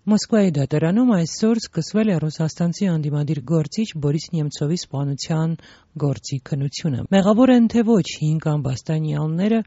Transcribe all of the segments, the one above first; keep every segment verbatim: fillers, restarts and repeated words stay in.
Մոսկվայի դատարանում այսօր սկսվել է ռուսաստանցի անդիմադիր գործիչ Բորիս Նեմցովի սպանության գործի քննությունը։ Մեղավոր են թե ոչ հինգ ամբաստանյալները,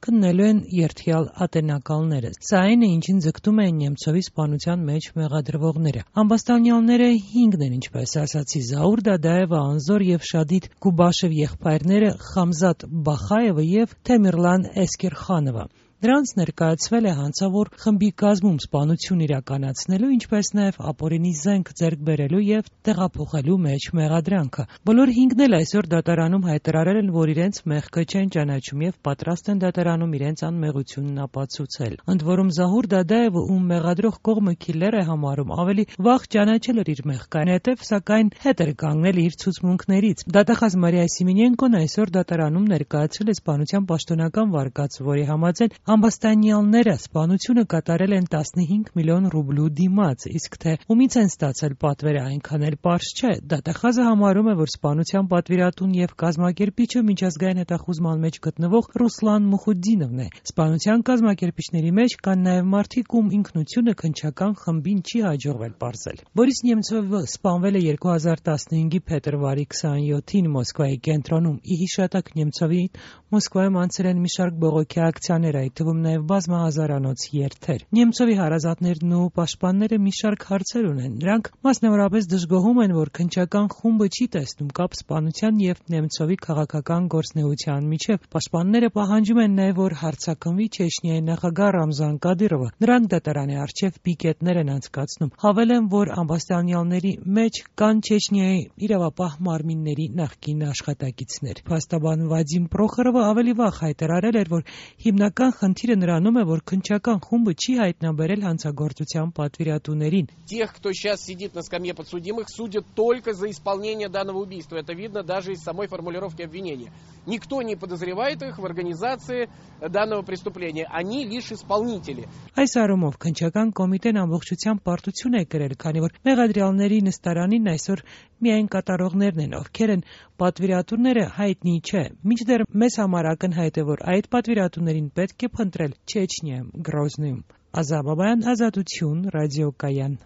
քննելու են երդյալ ատենակալները։ Սա այն է, ինչին ձգտում են Նեմցովի սպանության մեջ մեղադրվողները։ Ամբաստանյալները հինգն են, ինչպես ասացի, Զաուր Դադաևը, Անզոր եւ Շադիդ Գուբաշև եղբայրները, Խամզատ Բախաևը եւ Թեմիրլան Էսկերխանովը։ Նրանց ներկայացվել է հանցավոր խմբի կազմում սպանություն իրականացնելու, ինչպես նաև ապօրինի զենք ձեռք բերելու եւ տեղափոխելու մեջ մեղադրանքը։ Բոլոր հինգն էլ այսօր դատարանում հայտարարել են, որ իրենց մեղքը չեն ճանաչում եւ պատրաստ են դատարանում իրենց անմեղությունն ապացուցել։ Ընդ որում Զահուր Դադաևը, ում մեղադրող կողմը քիլեր է համարում, ավելի վաղ ճանաչել էր իր մեղքը, հետև սակայն հետ էր կանգնել իր ցուցմունքներից։ Դատախազ Մարիա Սիմոնենկոն այսօր դատարանում ներկայացրել է սպանության պաշտոնական վարկած, որի համաձայն ամբաստանյալները սպանությունը կատարել են տասնհինգ միլիոն ռուբլու դիմաց, իսկ թե ումից են ստացել պատվերը այնքան էլ պարզ չէ։ Դատախազը համարում է, որ սպանության պատվիրատուն եւ կազմակերպիչը միջազգային հետախուզման մեջ գտնվող Ռուսլան Մուխուդդինովն է։ Սպանության կազմակերպիչների մեջ կան նաեւ մարդիկ, ում ինքնությունը քննչական խմբին չի հաջողվել պարզել։ Բորիս Նեմցովը սպանվել է երկու հազար տասնհինգի փետրվարի քսաներկուին Մոսկվայի կենտրոնում։ Ի հիշատակ Նեմցովի Մոսկվայում անցել են մի շարք բողոքի ակցիաներ, այդ թվում նաև բազմահազարանոց երթեր։ Նեմցովի հարազատներն ու պաշտպանները մի շարք հարցեր ունեն։ Նրանք մասնավորապես դժգոհում են, որ քննչական խումբը չի տեսնում կապ սպանության եւ Նեմցովի քաղաքական գործունեության միջև։ Պաշտպանները պահանջում են նաև, որ հարցակնվի Չեչնիայի նախագահ Ռամզան Կադիրովը։ Նրանք դատարանի առջև պիկետներ են անցկացնում։ Հավելեն, որ ամբաստանյալների մեջ կան Չեչնիայի իրավապահ մարմինների նախկին աշխատակիցներ։ Փաստաբան Վադիմ Պրոխորովը ավելի վաղ հայտարարել էր, որ հիմնական խնդիրը նրանում է, որ քննչական խումբը չի հայտնաբերել հանցագործության պատվիրատուներին։ Тех, кто сейчас сидит на скамье подсудимых, судят только за исполнение данного убийства. Это видно даже из самой формулировки обвинения. Никто не подозревает их в организации данного преступления. Они лишь исполнители. Այս առումով քննչական կոմիտեն ամբողջությամբ պարտություն է կրել, քանի որ մեղադրյալների նստարանին այսօր միայն կատարողներն են, ովքեր են պատվիրատուները, հայտնի չէ։ Մինչդեռ մեզ համար ակնհայտ է, որ այդ պատվիրատուներին պետք է փնտրել Չեչնիայում, Գրոզնիում։ Ազա Բաբայան, Ազատություն, ռադիոկայան։